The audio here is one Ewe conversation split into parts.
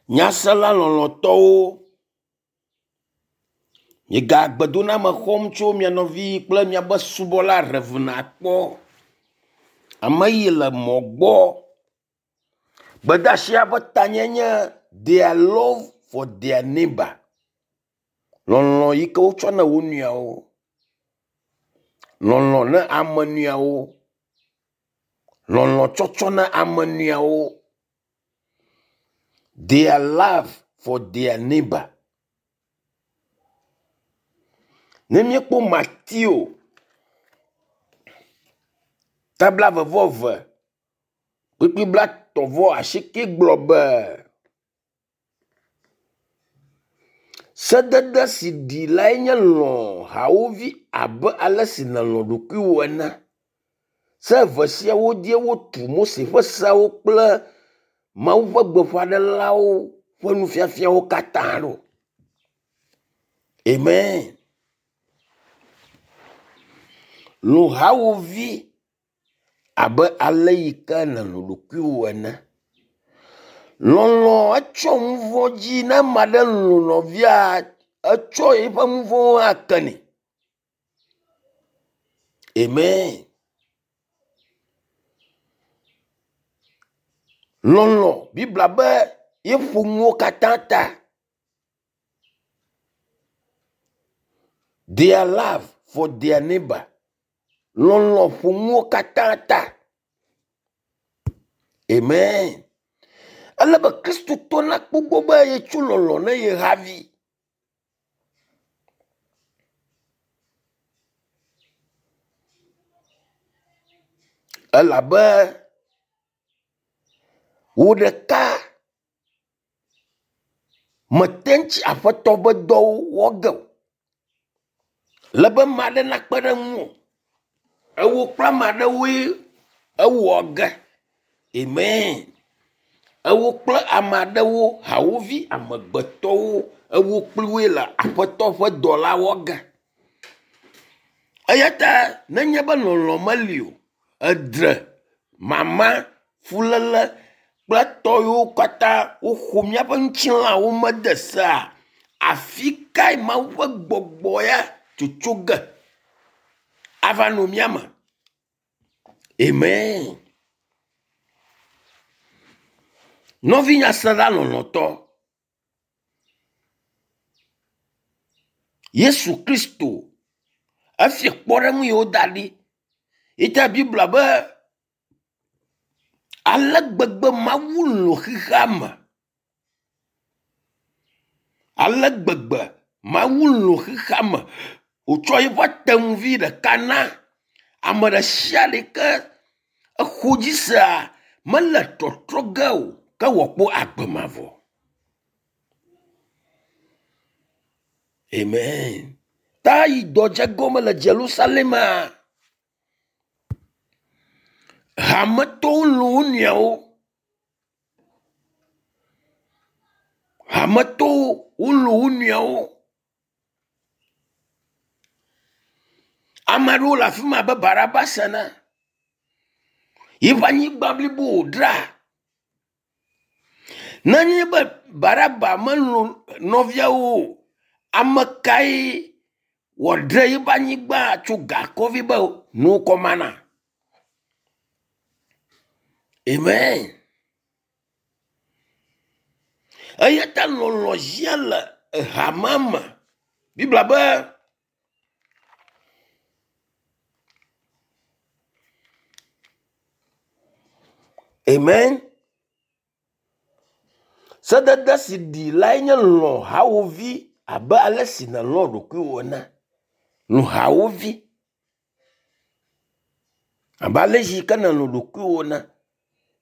Nyasela lɔlɔ̃tɔwo, miega gbedoname xɔm tso mia nɔvi kple miaƒe subɔla Rev. Akpɔ, ame yi le mɔ gbɔ. Gbedeasia ƒe tanye nye their love for their neighbor. Lɔlɔ̃ yi ke wotsɔ na wo nɔewo. Lɔlɔ̃ na ame nɔewo. Lɔlɔ̃ tsɔtsɔ na ame nɔewo. Their love for their neighbor. Ne míekpɔ Mateo ta blaeve-vɔ-eve kpukpui blatɔ̃-vɔ-asieke gblɔ be, Sedede si ɖi lae nye lɔ̃ hawòvi abe ale si nèlɔ̃ ɖokuiwò ene. Se eve siawo dzie wotu Mose ƒe seawo kple Mawu ƒe gbeƒãɖelawo ƒe nufiafiawo katã ɖo. Amen. Lɔ̃ hawòvi abe ale yi ke nèlɔ̃ ɖokuiwò ene. Lɔlɔ̃ etsɔ nu vɔ̃ dzi ne ame aɖe lɔ̃ nɔvia etsɔ eƒe nu vɔ̃wo hã kenɛ. Amen. Lɔlɔ̃ Biblia be yeƒo nuwo katã ta. Their love for their neighbor. Lɔlɔ̃ ƒo nuwo katã ta. Amen. Ele be Kristotɔ nakpɔ gbɔ be yetso lɔlɔ̃ ne ye havi. Elabe wò ɖeka mete ŋu tsi Aƒetɔ ƒe dɔwo wɔ ge o. Le be ame aɖe nakpe ɖe ŋuwò. Ewò kple ame aɖewoe ewɔ ge. Amen. Ewò kple ame aɖewo, hawòvi amegbetɔwo, ewò kpli woe le Aƒetɔ ƒe dɔ la wɔ ge. Eya ta nenye be lɔlɔ̃ meli o, edre, mama, fuléle kple tɔ yiwo katã woxɔ míaƒe ŋutilãwo mede sea, afi kae Mawu ƒe gbɔgbɔ ya tsotso ge ava nɔ mía me? Amen. Nɔvi nyasela lɔlɔ̃tɔ, Yesu Kristo efia kpɔɖeŋu yi woda ɖi. Yita Biblia be ale gbegbe Mawu lɔ̃ xexea me. Ale gbegbe Mawu lɔ̃ xexea me wòtsɔ eƒe atenuvi ɖeka na ame ɖe sia ɖe ke exɔ dzi sea mele tɔtrɔ ge o ke wòakpɔ agbe mavɔ. Amen. Ta yi dɔ dze gɔme le Jerusalemea, hametɔwo lɔ̃ wo nɔewo. Hametɔwo wolɔ̃ wo nɔewo. Ame aɖewo le afi ma abe Barabas ene. Yiƒe anyigba blibo wòdra. Nenye be Baraba melɔ̃ nɔviawo o, ame kae wòadre yiƒe anyigba tso gakɔvi be nuwo kɔ mana? Amen. Eya ta lɔlɔ̃ hiã le hamea me. Biblia be Amen. Sedede si ɖi lae nye lɔ̃ hawòvi abe ale si nèlɔ̃ ɖokuiwò ene. Lɔ̃ hawòvi abe ale si ke nèlɔ̃ ɖokuiwò ene.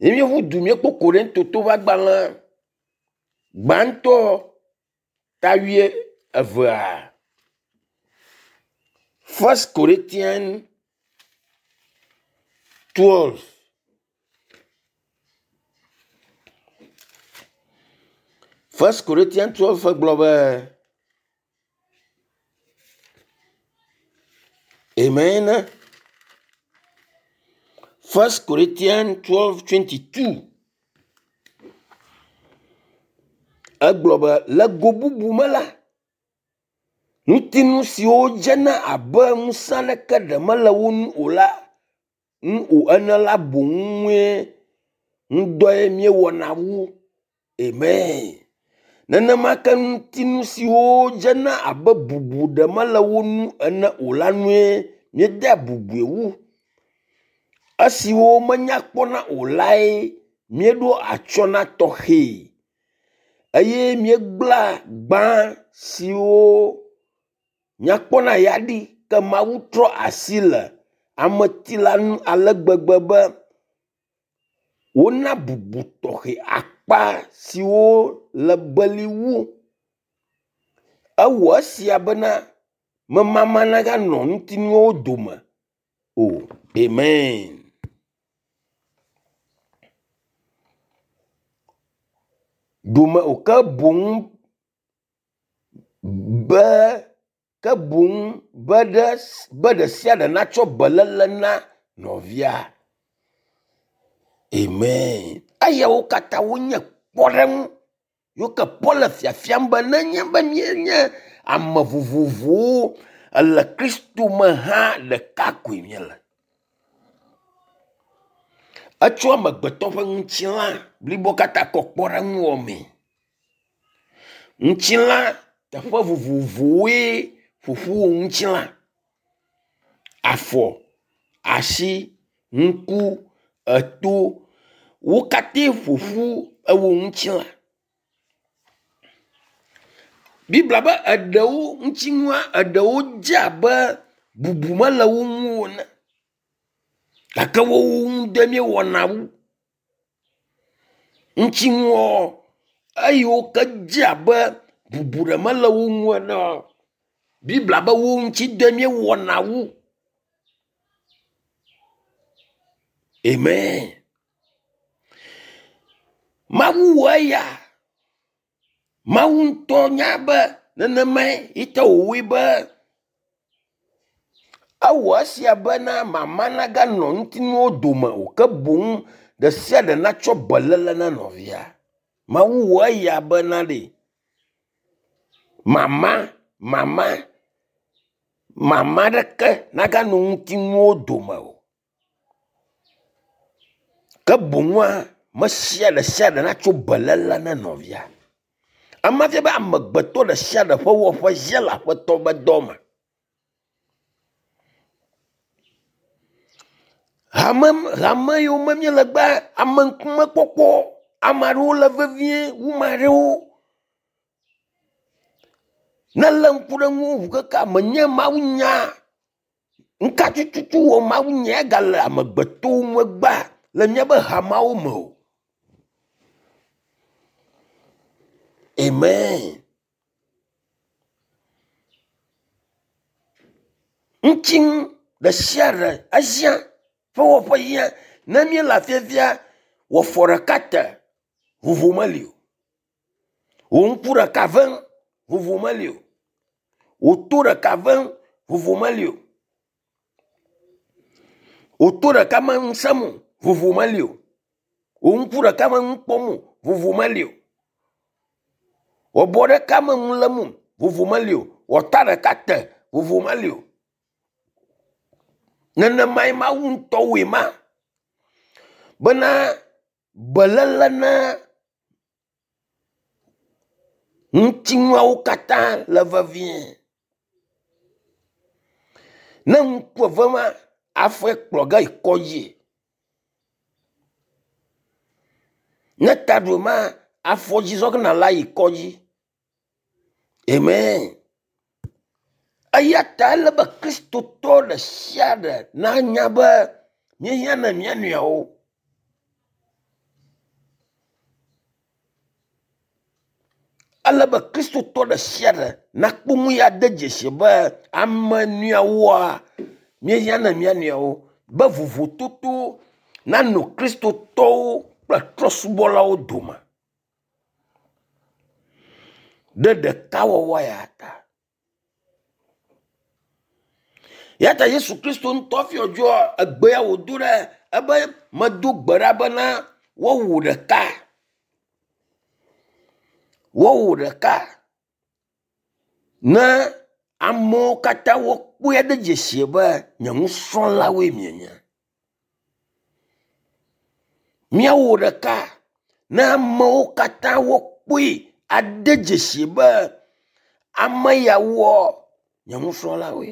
Ne míeƒu du míekpɔ Korintoto ƒe agbalẽ gbãtɔ ta wuie evea. First Corinthians 12. First Corinthians 12 gblɔ be Amen. First Corinthians 12 22. Egblɔ be le go bubu me la, ŋutinu siwo dzena abe ŋusẽ aɖeke ɖe mele wo ŋu o la ŋu o ene la boŋue ŋudɔe míewɔna wu. Amen. Nenema ke ŋutinu siwo dzena abe bubu ɖe mele wo ŋu ene o la nue míedea bubui wu. Esiwo menya kpɔna o lae míeɖo atsyɔ na tɔxɛ eye míegblẽa gbã siwo nyakpɔna ya ɖi ke Mawu trɔ asi le ameti la ŋu ale gbegbe be wona bubu tɔxɛ akpa siwo le beli wu. Ewɔ esia bena memama naganɔ ŋutinuwo dome o. Amen. Dome o ke boŋ be ke boŋ be ɖe be ɖe sia ɖe natsɔ beléle na nɔvia. Amen. Eyawo katã wonye kpɔɖeŋu yiwo ke Paul le fiafiam be nenye be míenye ame vovovowo le Kristo me hã ɖeka koe míele. Etsɔ amegbetɔ ƒe ŋutilã blibo katã kɔ kpɔɖeŋu wɔmee. Ŋutilã teƒe vovovowoe ƒoƒu wɔ ŋutilã. Afɔ, asi, ŋku, eto, wo katã ƒoƒu ewɔ ŋutilã. Biblia be eɖewo ŋutinua eɖewo dze abe bubu mele wo ŋu o ene gake wowo ŋu dɔe míewɔna wu. Ŋutinuɔ eyiwo ke dze abe bubu ɖe mele wo ŋu enea, Biblia be wo ŋuti dɔe míewɔna wu. Amen. Mawu wɔ eya. Mawu ŋutɔ nya be nenemae yi te wòwɔe be ewɔ esia bena mama naganɔ ŋutinuwo dome o ke boŋ ɖe sia ɖe natsɔ beléle na nɔvia. Mawu wɔ eya bena ɖe mama mama mama ɖeke naganɔ ŋutinuwo dome o. Ke boŋua me sia ɖe sia ɖe natso beléle na nɔvia. Ema fia be amegbetɔ ɖe sia ɖe ƒe wɔƒe sia le aƒetɔ ƒe dɔ me. Hame hame yiwo me míele gbea, ame ŋkumekpɔkpɔ, ame aɖewo le vevie wu ame aɖewo. Ne lé ŋku ɖe ŋuwò ŋu keke menye mawunya nuka tututu wɔ mawunya gale amegbetɔwo ŋu egbea le míaƒe hameawo me o. Amen. Ŋutinu ɖe sia ɖe ehiã ƒe wɔƒe hiã. Ne míele afiafia, wɔ fɔ ɖeka te, vovo meli o. Wò ŋku ɖeka vem, vovo meli o. Wò to ɖeka vem, vovo meli o. Wò to ɖeka me nu sem o, vovo meli o. Wò ŋku ɖeka me nu kpɔm o, vovo meli o. Wò abɔ ɖeka me nu lém o, vovo meli o. Wò ata ɖeka te, vovo meli o. Nenemae Mawu ŋutɔ wɔe ma bena beléle na ŋutinuawo katã le vevie. Ne ŋku eve ma, afɔe kplɔ ge yi kɔdzi. Ne taɖu ma, afɔ dzi zɔ ge nàle ayi kɔdzi. Amen. Eya ta ele be Kristotɔ ɖe sia ɖe nanya be míehiã na mía nɔewo. Ele be Kristotɔ ɖe sia ɖe nakpɔ nu ya de dzesi be ame nɔewoa, míehiã na mía nɔewo be vovototo nanɔ Kristotɔwo kple trɔ̃subɔlawo dome ɖe ɖekawɔwɔ ya ta. Ya ta Yesu Kristo ŋutɔ fiɔ dzo egbea wòdo ɖe ebe medo gbe ɖa bena woawɔ ɖeka. Woawɔ ɖeka ne amewo katã wokpɔe ɖe dzesi be nye nusrɔ̃lawoe mienye. Míawɔ ɖeka ne amewo katã wokpɔe ade dzesi be ame yawoa nye nusrɔ̃lawoe.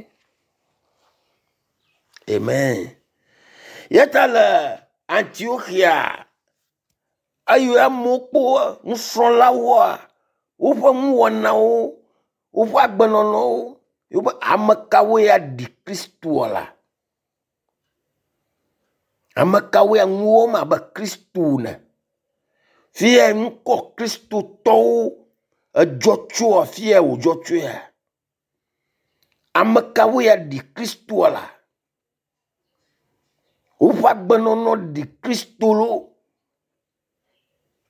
Amen. Yeta le Antioxia eye amewo kpɔ nusrɔ̃lawoa woƒe nuwɔnawo, woƒe agbenɔnɔwo, wobe ame kawoe aɖi Kristoa la? Ame kawoe nu wɔm abe Kristo ene? Fiya ŋkɔ Kristotɔwo edzɔ tso afi ya wòdzɔ tsoea? Ame kawoe aɖi Kristoa la? Woƒe agbenɔnɔ ɖi Kristo loo.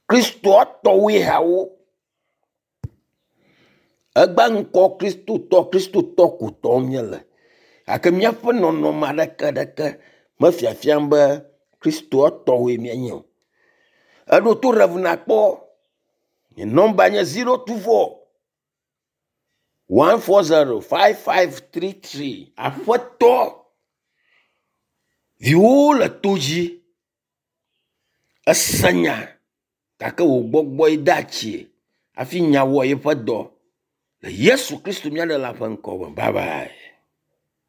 Kristoa tɔwoe hawo. Egba ŋkɔ Kristotɔ, Kristotɔ ko tɔm míele. Gake míaƒe nɔnɔme aɖeke ɖeke mefiafiam be Kristoa tɔwoe míenye o. Eɖo to Rev nakpɔ. Nye nɔmba nye 024 140 5533. Aƒetɔ, viwòwo le to dzi. Ese nya gake wò gbɔgbɔe de atsie hafi nya wɔ yeƒe dɔ. Le Yesu Kristo mía Ɖela ƒe ŋkɔ me. Bye bye.